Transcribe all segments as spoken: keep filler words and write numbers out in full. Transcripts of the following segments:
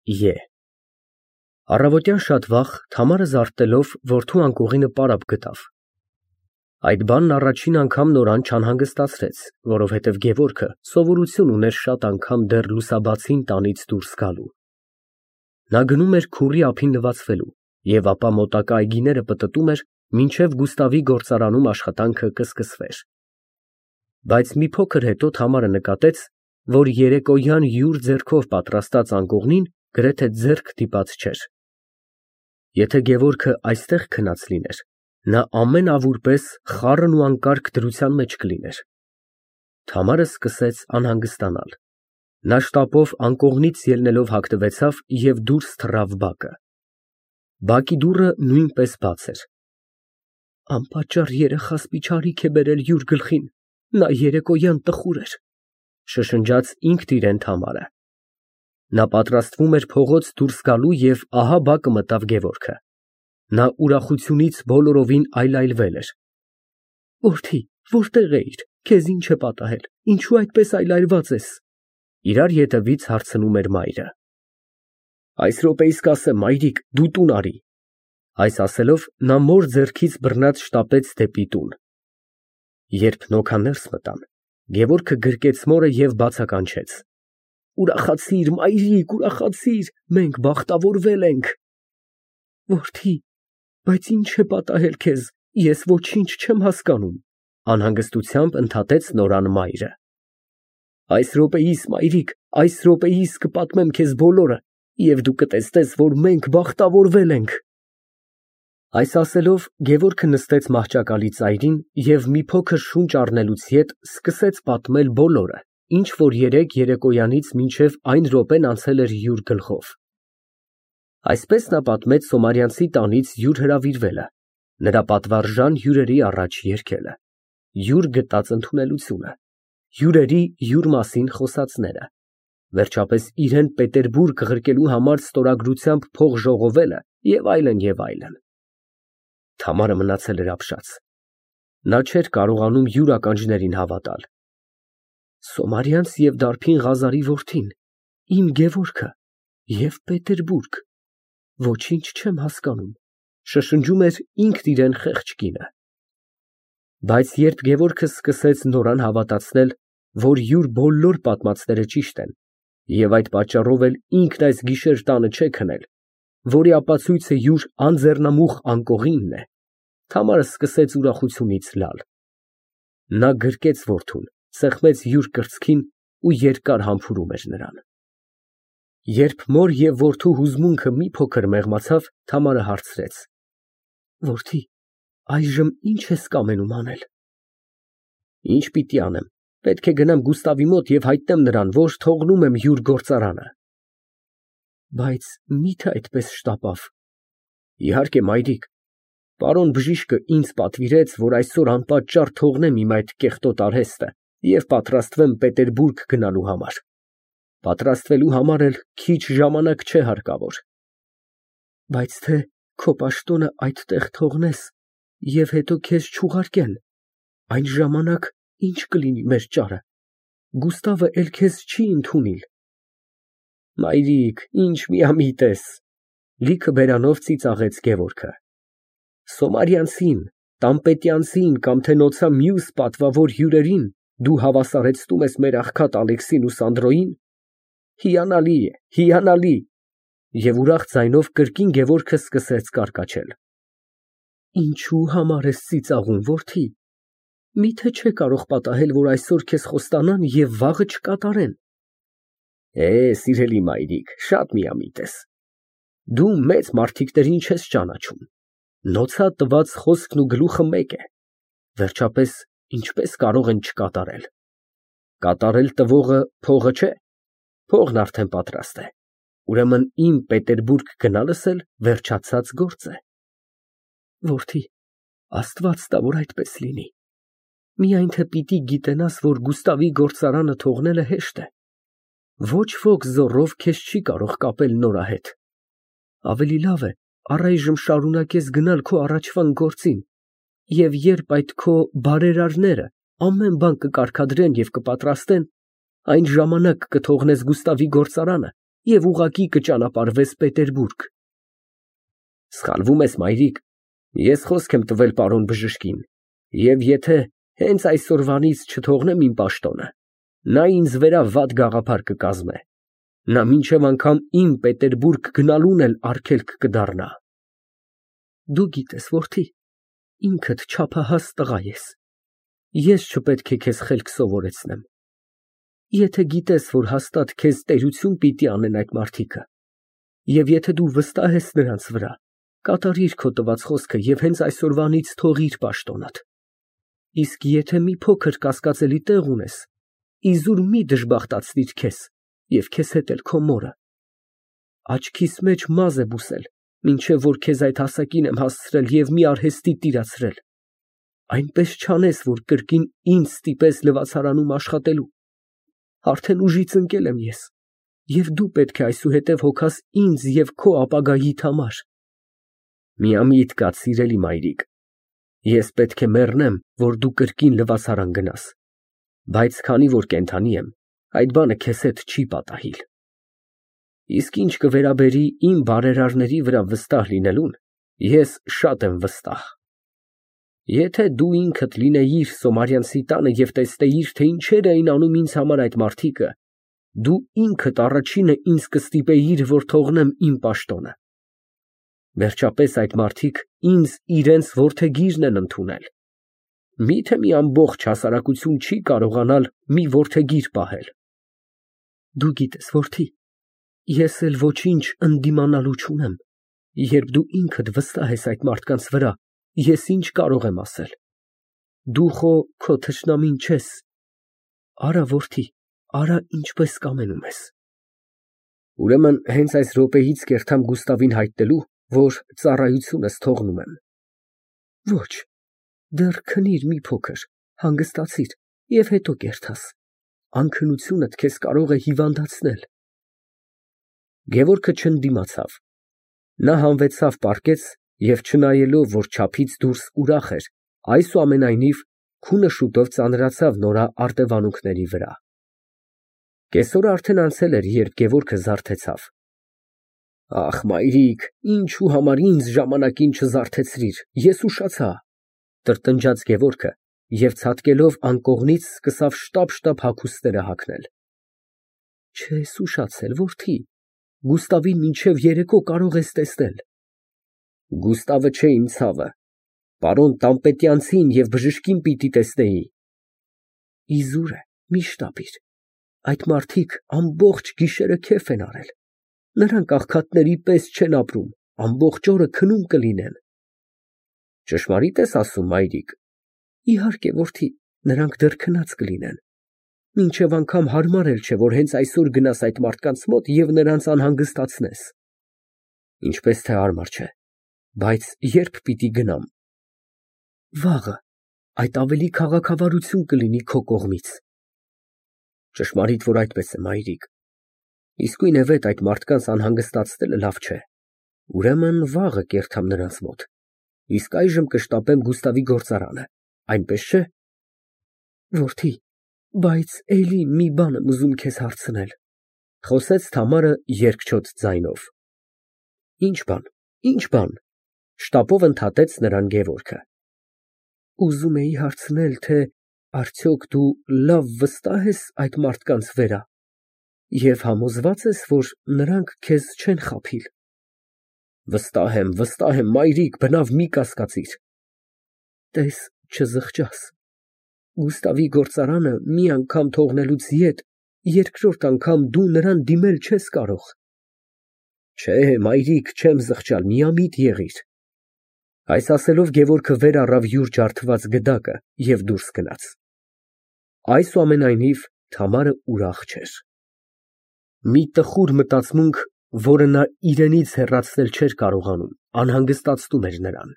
Է։ Առավոտյան շատ վաղ Թամարը զարթնելով որդու անկողինը պարապ գտավ։ Այդ բանն առաջին անգամ Նորան չանհանգստացրեց, որովհետև Գևորգը սովորություն ուներ շատ անգամ դեռ լուսաբացին տանից դուրս գալու։ Նա գնում էր քուռի ափին լվացվելու և ապա մոտակա այգիները պտտում էր, մինչև Գուստավի գործարանում աշխատանքը կսկսվեր։ Բայց մի փոքր հետո Թամարը նկատեց, որ երեկոյան յուր ձեռքով պատրաստած անկողնին գրեթե ձեռք դիպած չէր։ Եթե Գևորգը այստեղ քնած լիներ, նա ամեն ավուր պես խառն ու անկարգ դրության մեջ կլիներ։ Թամարը սկսեց անհանգստանալ։ Նա շտապով անկողնից ելնելով հագնվեցավ և դուրս թռավ բակը։ Բակի դուռը նույնպես բաց էր։ Անպատճառ երեխաս միջարիք է բերել յուր գլխին, նա երեկոյան տխուր էր, շշնջաց ինքն իրեն Թամարը։ Նա պատրաստվում էր փողոց դուրս գալու և ահա բակը մտավ Գևորգը։ Նա ուրախությունից բոլորովին այլայլվել էր։ Որդի, որտե՞ղ էիր, քեզ ի՞նչ է պատահել, ինչու այդպես այլայլված ես։ Իրար ետևից հարցնում էր մայրը։ Այս րոպեիս կասեմ, մայրիկ, դու տուն արի։ Այս ասելով նա մոր ձեռքից բռնած շտապեց դեպի տուն։ Երբ նոքաներս մտան, Գևորգը գրկեց մորը և բացականչեց. Ուրախացիր, մայրիկ, ուրախացիր, մենք բախտավորվել ենք։ Որդի, բայց ի՞նչ է պատահել քեզ, ես ոչինչ չեմ հասկանում, անհանգստությամբ ընդհատեց Նորան մայրը։ Այս րոպեիս, մայրիկ, այս րոպեիս կպատմեմ քեզ բոլորը, և դու կտեսնես, որ մենք բախտավորվել ենք։ Այս ասելով Գևորգը նստեց մահճակալի ծայրին և մի փոքր շունչ առնելուց ետ սկսեց պատմել բոլորը, ինչ որ երեկ երեկոյանից մինչև այն րոպեն անցել էր յուր գլխով։ Այսպես նա պատմեց Սոմարյանցի տանից յուր հրավիրվելը, նրա պատվարժան հյուրերի առաջ երգելը, յուր գտած ընդունելությունը, հյուրերի յուր մասին խոսածները, վերջապես իրան Պետերբուրգ ղրկելու համար ստորագրությամբ փող ժողովելը և այլն, և այլն։ Թամարը մնացել էր ապշած։ Նա չէր կարողանում յուր ականջներին հավատալ։ Սոմարյանց և դարբին Ղազարի որդին, իմ Գևորգը և Պետերբուրգ, ոչինչ չեմ հասկանում, շշնջում էր ինքն իրան խեղճ կինը։ Բայց երբ Գևորգը սկսեց Նորան հավատացնել, որ յուր բոլոր պատմածները ճիշտ են, և այդ պատճառով էլ ինքն այս գիշեր տանը չէ քնել, որի ապացույցը յուր անձեռնամուխ անկողինն է, Թամարը սկսեց ուրախությունից լալ։ Նա գրկեց որդուն, սեղմեց յուր կրծքին ու երկար համբուրում էր նրան։ Երբ մոր և որդու հուզմունքը մի փոքր մեղմացավ, Թամարը հարցրեց. Որդի, այժմ ի՞նչ ես կամենում անել։ Ինչ պիտի անեմ, պետք է գնամ Գուստավի մոտ և հայտնեմ նրան, որ թողնում եմ յուր գործարանը։ Բայց մի՞թե այդպես շտապավ։ Իհարկե, մայրիկ, պարոն բժիշկը ինձ պատվիրեց, որ այսօր անպատճառ թողնեմ իմ այդ կեղտոտ արհեստը և պատրաստվեմ Պետերբուրգ գնալու համար։ Պատրաստվելու համար էլ քիչ ժամանակ չէ հարկավոր։ Բայց թե քո պաշտոնը այդտեղ թողնես և հետո քեզ չուղարկեն, այն ժամանակ ի՞նչ կլինի մեր ճարը, Գուստավը էլ քեզ չի ընդունիլ։ Մայրիկ, ինչ միամիտ ես, լիքը բերանով ծիծաղեց Գևորգը։ Սոմարյանցին, Տամպետյանցին կամ թե նոցա մյուս պատվավոր հյուրերին դու հավասարեցնում ես մեր աղքատ Ալեքսին ու Սանդրոյին։ Հիանալի է, հիանալի։ Եվ ուրախ ձայնով կրկին Գևորգը սկսեց կարկաչել։ Ինչու համար ես ծիծաղում, որդի։ Միթե չէ կարող պատահել, որ այսօր քեզ խոստանան և վաղը չկատարեն։ Է, սիրելի մայրիկ, շատ միամիտ ես։ Դու մեծ մարդիկներին չես ճանաչում։ Նոցա տված խոսքն ու գլուխը մեկ է։ Վերջապես, ինչպես կարող են չկատարել։ Կատարել տվողը փողը չէ։ Փողն արդեն պատրաստ է։ Ուրեմն իմ Պետերբուրգ գնալս էլ վերջացած գործ է։ Որդի, Աստված տա, որ այդպես լինի։ Միայն թե պիտի գիտենաս, որ Գուստավի գործարանը թողնելը հեշտ է։ Ոչ ոք զոռով քեզ չի կարող կապել Նորա հետ։ Ավելի լավ է առայժմ շարունակես գնալ քո առաջվան գործին, և երբ այդ քո բարերարները ամեն բան կկարգադրեն և կպատրաստեն, այն ժամանակ կթողնես Գուստավի գործարանը և ուղղակի կճանապարհվես Պետերբուրգ։ Սխալվում ես, մայրիկ, ես խոսք եմ տվել պարոն բժշկին, և եթե հենց այսօրվանից չթողնեմ իմ պաշտոնը, նա ինձ վերա վատ գաղափար կկազմե, նա մինչև անգամ իմ Պետերբուրգ գնալուն էլ արգելք կդառնա։ Դու գիտես, որդի, ինքդ չափահաս տղա ես, ես չպետք է քեզ խելք սովորեցնեմ։ Եթե գիտես, որ հաստատ քեզ տերություն պիտի անեն այդ մարդիկը, և եթե դու վստահ ես նրանց վրա, կատարիր քո տված խոսքը և հենց այսօրվանից թողիր պաշտոնդ։ Իսկ եթե մի փոքր կասկածելի տեղ ունես, իզուր մի դժբախտացնիր քեզ և քեզ հետ էլ քո մորը։ Աչքիս մեջ մազ է բուսել, մինչև որ քեզ այդ հասակին եմ հասցրել և մի արհեստի տիրացրել, այնպես չանես, որ կրկին ինձ ստիպես լվացարանում աշխատելու։ Արդեն ուժից ընկել եմ ես, և դու պետք է այսուհետև հոգաս ինձ և քո ապագայիդ համար։ Միամիտ կաց, սիրելի մայրիկ, ես պետք է մեռնեմ, որ դու կրկին լվացարան գնաս, բայց քանի որ կենդանի եմ, այդ բանը քեզ հետ չի պատահիլ։ Իսկ ինչ կվերաբերի իմ բարերարների վրա վստահ լինելուն, ես շատ եմ վստահ։ Եթե դու ինքդ լինեիր Սոմարյանցի տանը և տեսնեիր, թե ինչեր էին անում ինձ համար այդ մարդիկը, դու ինքդ առաջինը ինձ կստիպեիր, որ թողնեմ իմ պաշտոնը։ Վերջապես այդ մարդիկ ինձ իրենց որդեգիրն են ընդունել։ Մի՞թե մի ամբողջ հասարակություն չի կարողանալ մի որդեգիր պահել։ Դու գիտես, որդի, ես էլ ոչինչ ընդդիմանալու չունեմ, երբ դու ինքդ վստահ ես այդ մարդկանց վրա, ես ինչ կարող եմ ասել։ Դու խո քո թշնամին չես։ Արա, որդի, արա, ինչպես կամենում ես։ Ուրեմն հենց այս րոպեից կերտամ Գուստավին հայտնելու, որ ծառայությունս թողնում եմ։ Ոչ, դեռ քնիր մի փոքր, հանգստացիր և հետո կերտաս, անքնությունդ քեզ կարող է հիվանդացնել։ Գևորգը չընդդիմացավ։ Նա հանվեցավ պառկեց և չնայելով, որ չափից դուրս ուրախ էր, այսուամենայնիվ քունը շուտով ծանրացավ նորա արտևանունքների վրա։ Կեսօրը արդեն անցել էր, երբ Գևորգը զարթեցավ։ Ախ, մայրիկ, ինչու համար ինձ ժամանակին չզարթեցրիր, ես ուշացա, տրտնջաց Գևորգը և ցատկելով անկողնից սկսավ շտապ֊շտապ հագուստները հագնել։ Չես ուշացել, որդի, Գուստավին մինչև երեկո կարող ես տեսնել։ Գուստավը չէ իմ ցավը, պարոն Տան֊Պետյանցին և բժշկին պիտի տեսնեի։ Իզուր է, մի շտապիր, այդ մարդիկ ամբողջ գիշերը քեֆ են արել, նրանք աղքատների պես չեն ապրում, ամբողջ օրը քնում կլինեն։ Ճշմարի՞տ ես ասում, մայրիկ։ Իհարկե, որդի, նրանք դեռ քնած կլինեն։ Մինչև անգամ հարմար էլ չէ, որ հենց այսօր գնաս այդ մարդկանց մոտ և նրանց անհանգստացնես։ Ինչպես թե հարմար չէ, բայց ե՞րբ պիտի գնամ։ Վաղը, այդ ավելի քաղաքավարություն կլինի քո կողմից։ Ճշմարիտ, որ այդպես է, մայրիկ։ Իսկույնևեթ այդ մարդկանց անհանգստացնելը լավ չէ։ Ուրեմն վաղը կերտամ նրանց մոտ, իսկ այժմ կշտապեմ Գուստավի գործարանը, այնպես չէ։ Որդի, բայց էլի մի բան եմ ուզում քեզ հարցնել, խոսեց Թամարը երկչոտ ձայնով։ Ինչ բան, ինչ բան, շտապով ընդհատեց նրան Գևորգը։ Ուզում էի հարցնել, թե արդյոք դու լավ վստահ ես այդ մարդկանց վրա և համոզվա՞ծ ես, որ նրանք քեզ չեն խաբիլ։ Վստահ եմ, վստահ եմ, մայրիկ, բնավ մի կասկածիր։ Տես, չզղջաս։ Գուստավի գործարանը մի անգամ թողնելուց ետ, երկրորդ անգամ դու նրան դիմել չես կարող։ Չէ, մայրիկ, չեմ զղջալ, միամիտ եղիր։ Այս ասելով Գևորգը վեր առավ յուր ջարդված գդակը և դուրս գնաց։ Այսուամենայնիվ Թամարը ուրախ չէր։ Մի տխուր մտածմունք, որը նա իրենից հեռացնել չէր կարողանում, անհանգստացնում էր նրան։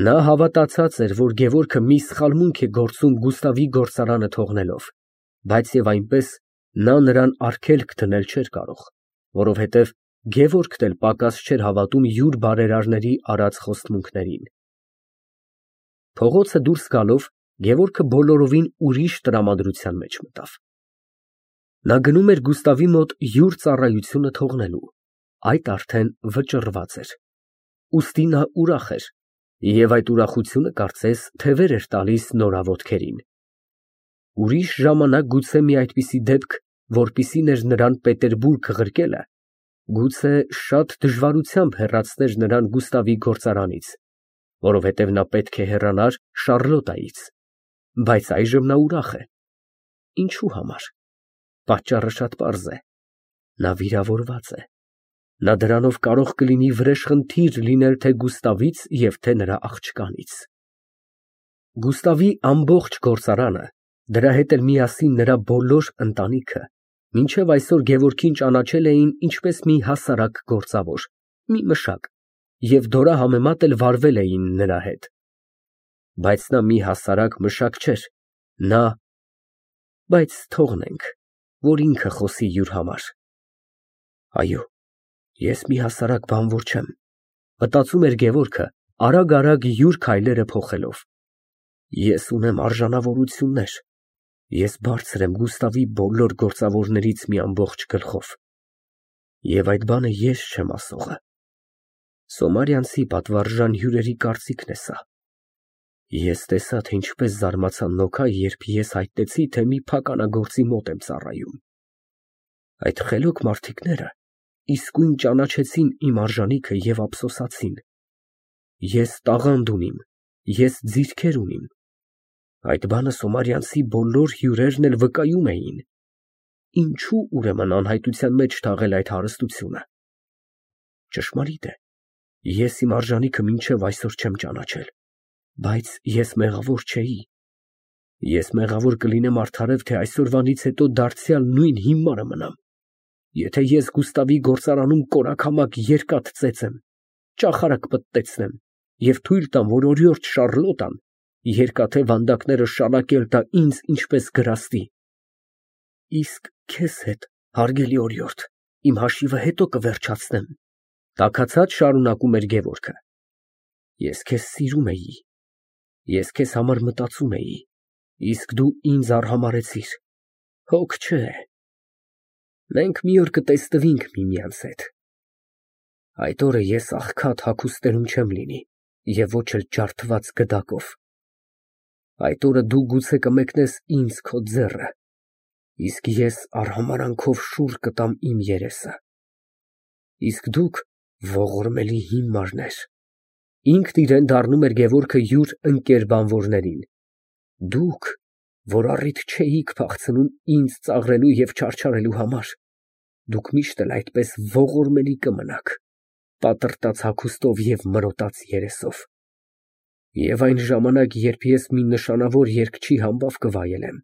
Նա հավատացած էր, որ Գևորգը մի սխալմունք է գործում Գուստավի գործարանը թողնելով, բայց և այնպես նա նրան արգելք դնել չէր կարող, որովհետև Գևորգն էլ պակաս չէր հավատում յուր բարերարների արած խոստմունքներին։ Փողոցը դուրս գալով Գևորգը բոլորովին ուրիշ տրամադրության մեջ մտավ։ Նա գնում էր Գուստավի մոտ յուր ծառայությունը թողնելու, այդ արդեն վճռված էր, ուստի նա ուրախ էր և այդ ուրախությունը կարծես թևեր էր տալիս նորաոտքերին։ Ուրիշ ժամանակ գուցե մի այդպիսի դեպք, որպիսին էր նրան Պետերբուրգ ղրկելը, գուցե շատ դժվարությամբ հեռացներ նրան Գուստավի գործարանից, որովհետև նա պետք է հեռանար Շառլոտայից, բայց այժմ նա ուրախ է։ Ինչու համար։ Պատճառը շատ պարզ է. նա վիրավորված է։ Նա դրանով կարող կլինի վրեժխնդիր լինել թե Գուստավից և թե նրա աղջկանից։ Գուստավի ամբողջ գործարանը, դրա հետ էլ միասին նրա բոլոր ընտանիքը մինչև այսօր Գևորգին ճանաչել էին ինչպես մի հասարակ գործավոր, մի մշակ և դորահամեմատ էլ վարվել էին նրա հետ։ Բայց նա մի հասարակ մշակ չէր, նա… Բայց թողնենք, որ ինքը խոսի յուր համար։ Այո, ես մի հասարակ բանվոր չեմ, մտածում էր Գևորգը, արագ֊արագ յուր քայլերը փոխելով։ Ես ունեմ արժանավորություններ, ես բարձր եմ Գուստավի բոլոր գործավորներից մի ամբողջ գլխով։ Եվ այդ բանը ես չեմ ասողը։ Սոմարյանցի պատվարժան հյուրերի կարծիքն է սա։ Ես տեսա, թե ինչպես զարմացան Նոքա, երբ ես հայտնեցի, թե մի փականագործի մոտ եմ ծառայում։ Այդ խելոք մարդիկները իսկույն ճանաչեցին իմ արժանիքը և ափսոսացին։ Ես տաղանդ ունիմ, ես ձիրքեր ունիմ։ Այդ բանը Սոմարյանցի բոլոր հյուրերն էլ վկայում էին։ Ինչո՞ւ ուրեմն անհայտության մեջ թաղել այդ հարստությունը։ Ճշմարիտ է, ես իմ արժանիքը մինչև այսօր չեմ ճանաչել, բայց ես մեղավոր չէի։ Ես մեղավոր կլինեմ արդարև, թե այսօրվանից հետո դարձյալ նույն հիմարը մնամ։ Եթե ես Գուստավի գործարանում կորակամակ երկաթ ծեծեմ, ճախարակ պտտեցնեմ և թույլ տամ, որ օրիորդ Շառլոտան երկաթե վանդակները շալակել տա ինձ ինչպես գրաստի, իսկ քեզ հետ, հարգելի օրիորդ, իմ հաշիվը հետո կվերջացնեմ, տաքացած շարունակում էր Գևորգը։ Ես քեզ սիրում էի, ես քեզ համար մտածում էի, իսկ դու ինձ արհամարհեցիր, հոգ չէ։ Մենք մի օր կտեսնվենք միմյանց հետ։ Այդ օրը ես աղքատ հագուստերում չեմ լինի և ոչ էլ ջարդված գդակով։ Այդ օրը դու գուցե կմեկնես ինձ քո ձեռը, իսկ ես արհամարհանքով շուռ կտամ իմ երեսը։ Իսկ դուք ողորմելի հիմարներ, ինքն իրեն դառնում էր Գևորգը յուր ընկեր բանվորներին, դուք, որ առիթ չէիք փախցնում ինձ ծաղրելու և չարչարելու համար, դուք միշտ էլ այդպես ողորմելի կմնաք, պատրտած հագուստով և մրոտած երեսով։ Եվ այն ժամանակ, երբ ես մի նշանավոր երգչի համբավ կվայելեմ,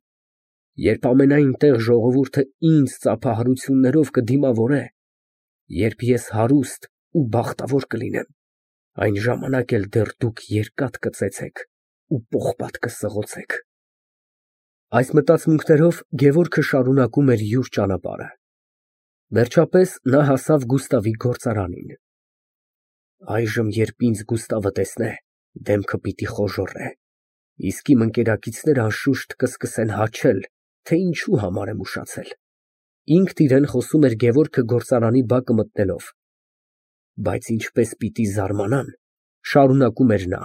երբ ամենայն տեղ ժողովուրդը ինձ ծափահարություններով կդիմավորե, երբ ես հարուստ ու բախտավոր կլինեմ, այն ժամանակ էլ դեռ դուք երկաթ կծեծեք ու պողպատ կսղոցեք։ Այս մտածմունքներով Գևորգը շարունակում էր յուր ճանապարհը։ Վերջապես նա հասավ Գուստավի գործարանին։ Այժմ, երբ ինձ Գուստավը տեսնե, դեմքը պիտի խոժոռե, իսկ իմ ընկերակիցները անշուշտ կսկսեն հաչել, թե ինչու համար եմ ուշացել։ Ինքն իրան խոսում էր Գևորգը գործարանի բակը մտնելով։ Բայց ինչպես պիտի զարմանան, շարունակում էր նա,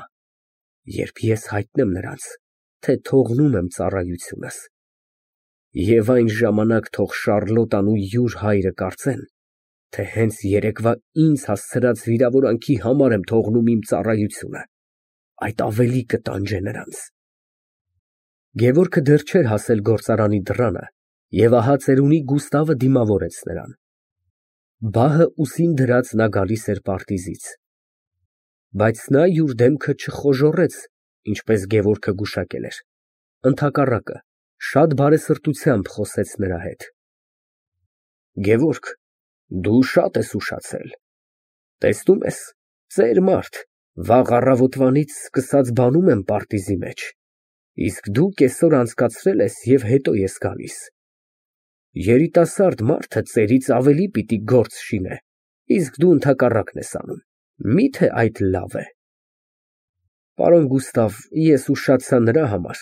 երբ ես հայտնեմ նրանց, թե թողնում եմ ծառայությունս։ Եվ այն ժամանակ թող Շառլոտան ու յուր հայրը կարծեն, թե հենց երեկվա ինձ հասցրած վիրավորանքի համար եմ թողնում իմ ծառայությունը, այդ ավելի կտանջե նրանց։ Գևորգը դեռ չէր հասել գործարանի դռանը, և ահա ծերունի Գուստավը դիմավորեց նրան։ Բահը ուսին դրած նա գալիս էր պարտիզից։ Բայց նա յուր դեմքը չխոժոռեց, ինչպես Գևորգը գուշակել էր, ընդհակառակը, շատ բարեսրտությամբ խոսեց նրա հետ։ Գևորգ, դու շատ ես ուշացել, տեսնում ես, ծեր մարդ, վաղ առավոտվանից սկսած բանում եմ պարտիզի մեջ, իսկ դու կեսօր անցկացրել ես և հետո ես գալիս։ Երիտասարդ մարդը ծերից ավելի պիտի գործ շինե, իսկ դու ընդհակառակն ես անում, մի՞թե այդ լավ է։ Պարոն Գուստավ, ես ուշացա նրա համար,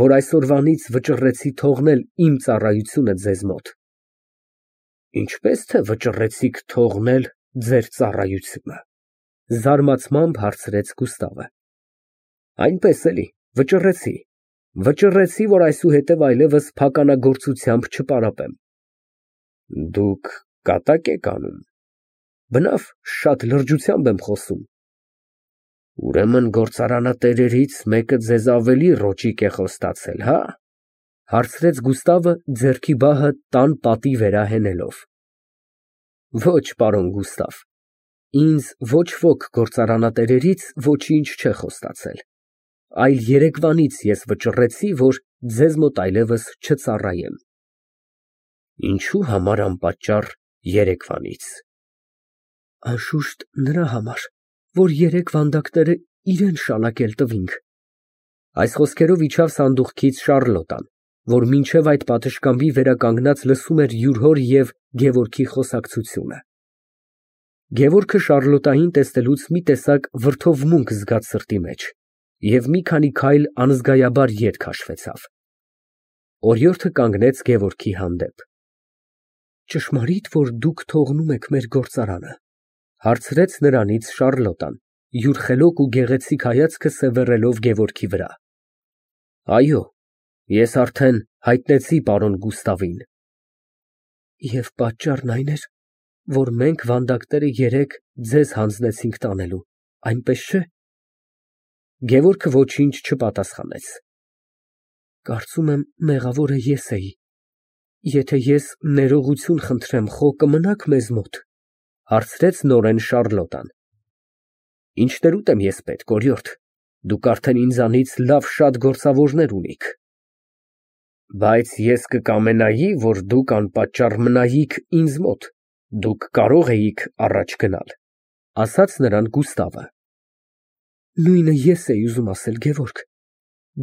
որ այսօրվանից վճռեցի թողնել իմ ծառայությունը ձեզ մոտ, Ինչպես թե վճռեցիք թողնել ձեր ծառայությունը, զարմացմամբ հարցրեց Գուստավը։ Այնպես էլի, վճռեցի, վճռեցի, որ այսուհետև այլևս փականագործությամբ չպարապեմ։ Դուք կատակ եք անում։ Բնավ, շատ լրջությամբ եմ խոսում։ Ուրեմն գործարանատերերից մեկը ձեզ ավելի ռոճիկ է խոստացել, հա՞, հարցրեց Գուստավը ձեռքի բահը տան պատի վրա հենելով։ Ոչ, պարոն Գուստավ, ինձ ոչ ոք գործարանատերերից ոչինչ չէ խոստացել, այլ երեկվանից ես վճռեցի, որ ձեզ մոտ այլևս չծառայեմ։ Ինչու համար անպատճառ երեկվանից։ Անշուշտ նրա համար, որ երեք վանդակները իրան շալակել տվինք։ Այս խոսքերով իջավ սանդուղքից Շառլոտան, որ մինչև այդ պատշգամբի վերականգնած լսում էր յուր հոր և Գևորգի խոսակցությունը։ Գևորգը Շառլոտային տեսնելուց մի տեսակ վրդովմունք զգաց սրտի մեջ և մի քանի քայլ անզգայաբար ետ քաշվեցավ։ Օրիորդը կանգնեց Գևորգի հանդեպ։ Ճշմարի՞տ, որ դուք թողնում եք մեր գործարանը, հարցրեց նրանից Շառլոտան, յուր խելոք ու գեղեցիկ հայացքը սևեռելով Գևորգի վրա։ Այո, ես արդեն հայտնեցի պարոն Գուստավին։ Եվ պատճառն այն էր, որ մենք վանդակները երեկ ձեզ հանձնեցինք տանելու, այնպես չէ։ Գևորգը ոչինչ չպատասխանեց։ Կարծում եմ, մեղավորը ես էի։ Եթե ես ներողություն խնդրեմ, խո կմնաք մեզ մոտ, հարցրեց նորեն Շառլոտան։ Ինչներուտ եմ ես պետք, օրիորդ, դուք արդեն ինձանից լավ շատ գործավորներ ունիք։ Բայց ես կկամենայի, որ դուք անպատճառ մնայիք ինձ մոտ, դուք կարող էիք առաջ գնալ, ասաց նրան Գուստավը։ Նույնը ես էի ուզում ասել, Գևորգ,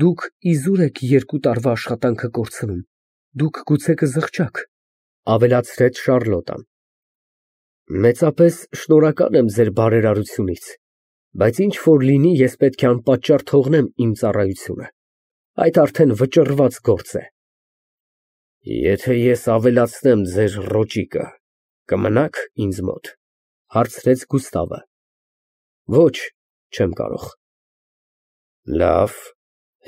դուք իզուր եք երկու տարվա աշխատանքը կորցնում, դուք գուցե կզղջաք, ավելացրեց Շառլոտան։ Մեծապես շնորհակալ եմ ձեր բարերարությունից, բայց ինչ որ լինի, ես պետք է անպատճառ թողնեմ իմ ծառայությունը, այդ արդեն վճռված գործ է։ Եթե ես ավելացնեմ ձեր ռոճիկը, կմնաք ինձ մոտ, հարցրեց Գուստավը։ Ոչ, չեմ կարող։ Լավ,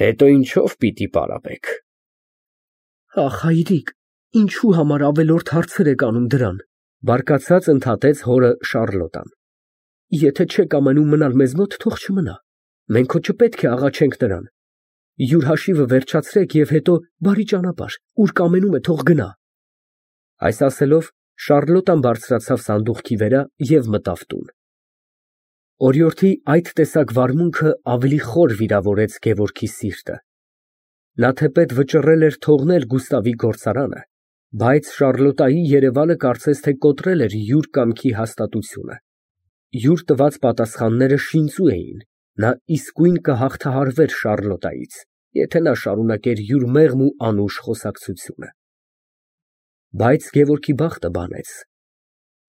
հետո ինչով պիտի պարապեք։ Ախ, հայրիկ, ինչու համար ավելորդ հարցեր եք անում դրան, բարկացած ընդհատեց հորը Շառլոտան։ Եթե չեք ամենում մնալ մեզ մոտ, թող չմնա, մենք հո չպետք է աղաչենք նրան։ Յուր հաշիվը վերջացրեք և հետո բարի ճանապարհ, ուր կամենում է, թող գնա։ Այս ասելով Շառլոտան բարձրացավ սանդուղքի վրա և մտավ տուն։ Օրիորդի այդ տեսակ վարմունքը ավելի խոր վիրավորեց Գևորգի սիրտը։ Նա թեպետ վճռել էր թողնել Գուստավի գործարանը, բայց Շառլոտայի երևալը կարծես թե կոտրել էր յուր կամքի հաստատությունը։ Յուր տված պատասխանները շինծու էին, նա իսկույն կհաղթահարվեր Շառլոտայից, եթե նա շարունակեր յուր մեղմ ու անուշ խոսակցությունը։ Բայց Գևորգի բախտը բանեց։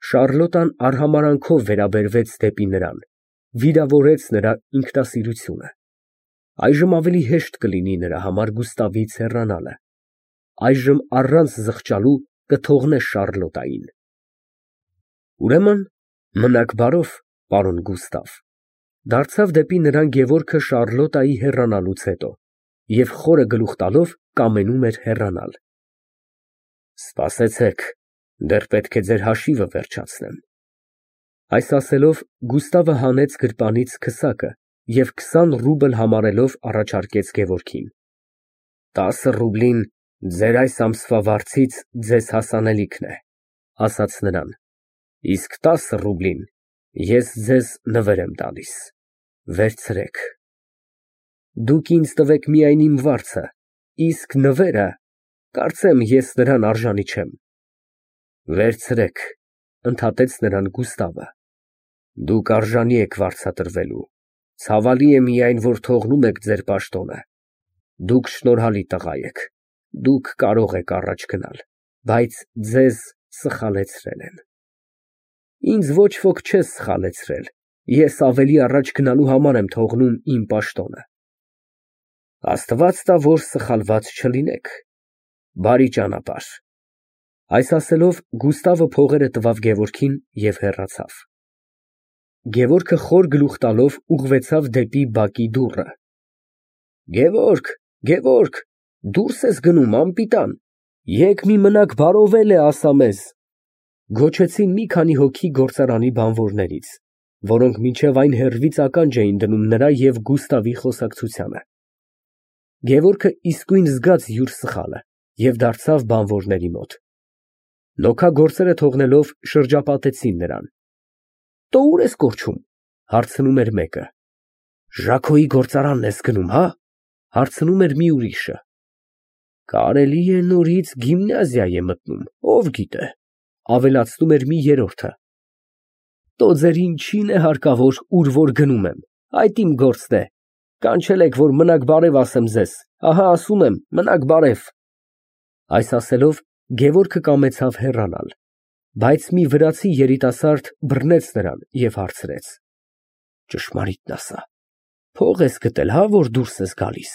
Շառլոտան արհամարանքով վերաբերվեց դեպի նրան, վիրավորեց նրա ինքնասիրությունը։ Այժմ ավելի հեշտ կլինի նրա համար Գուստավից հեռանալը։ Այժմ առանց զղջալու կթողնե Շառլոտային։ Ուրեմն մնաք բարով, պարոն Գուստավ, դարձավ դեպի նրան Գևորգը Շառլոտայի հեռանալուց հետո և խորը գլուխ տալով կամենում էր հեռանալ։ Սպասեցեք, դեռ պետք է ձեր հաշիվը վերջացնեմ։ Այս ասելով Գուստավը հանեց գրպանից քսակը և քսան ռուբլ համարելով առաջարկեց Գևորգին։ Տասը ռուբլին ձեր այս ամսվա վարձից ձեզ հասանելիքն է, ասաց նրան, իսկ տասը ռուբլին ես ձեզ նվեր եմ տալիս, վերցրեք։ Դուք ինձ տվեք միայն իմ վարձը, իսկ նվերը, կարծեմ, ես նրան արժանի չեմ։ Վերցրեք, ընդհատեց նրան Գուստավը։ Դուք արժանի եք վարձատրվելու, ցավալի է միայն, որ թողնում եք ձեր պաշտոնը։ Դուք շնորհալի տղա եք, դուք կարող եք առաջ գնալ, բայց ձեզ սխալեցրել են։ Ինձ ոչ ոք չէ սխալեցրել, ես ավելի առաջ գնալու համար եմ թողնում իմ պաշտոնը։ Աստված տա, որ սխալված չլինեք։ Բարի ճանապարհ։ Այս ասելով Գուստավը փողերը տվավ Գևորգին և հեռացավ։ Գևորգը խոր գլուխ տալով ուղղվեցավ դեպի բակի դուռը։ Գևորգ, Գևորգ, դուրս ես գնում, անպիտան, եկ մի մնաք բարովել է ասա մեզ, գոչեցին մի քանի հոգի գործարանի բանվորներից, որոնք մինչև այն հեռվից ականջ էին դնում նրա և Գուստավի խոսակցությանը։ Գևորգը իսկույն զգաց յուր սխալը և դարձավ բանվորների մոտ։ Նոքագործերը թողնելով շրջապատեցին նրան։ Տո ուր ես կորչում, հարցնում էր մեկը։ Ժաքոյի գործարանն ես գնում, հա, հարցնում էր մի ուրիշը։ Կարելի է նորից գիմնազիա է մտնում, ով գիտե, ավելացնում էր մի երրորդը։ Տո ձեր ինչին է հարկավոր, ուր որ գնում եմ, այդ իմ գործն է, կանչել եք, որ մնաք բարև ասեմ ձեզ, ահա ասում եմ, մնաք բարև։ Այս ասելով Գևորգը կամեցավ հեռանալ, բայց մի վրացի երիտասարդ բռնեց նրան և հարցրեց. Ճշմարիտն ասա, փող ես գտել, հա, որ դուրս ես գալիս։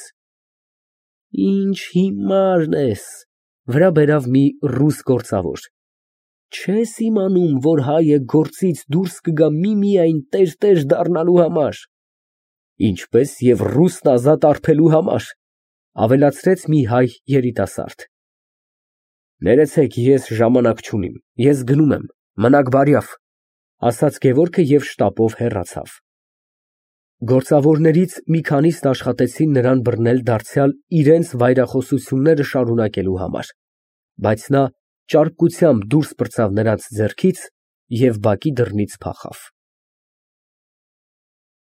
Ինչ հիմարն ես, վրա բերավ մի ռուս գործավոր։ Չես իմանում, որ հայը գործից դուրս կգա միմիայն տերտեր դառնալու համար։ Ինչպես և ռուսն ազատ արբելու համար, ավելացրեց մի հայ երիտասարդ։ Ներեցեք, ես ժամանակ չունիմ, ես գնում եմ, մնաք բարյավ, ասաց Գևորգը և շտապով հեռացավ։ Գործավորներից մի քանիսն աշխատեցին նրան բռնել դարձյալ իրենց վայրախոսությունները շարունակելու համար, բայց նա ճարպկությամբ դուրս պրծավ նրանց ձեռքից և բակի դռնից փախավ։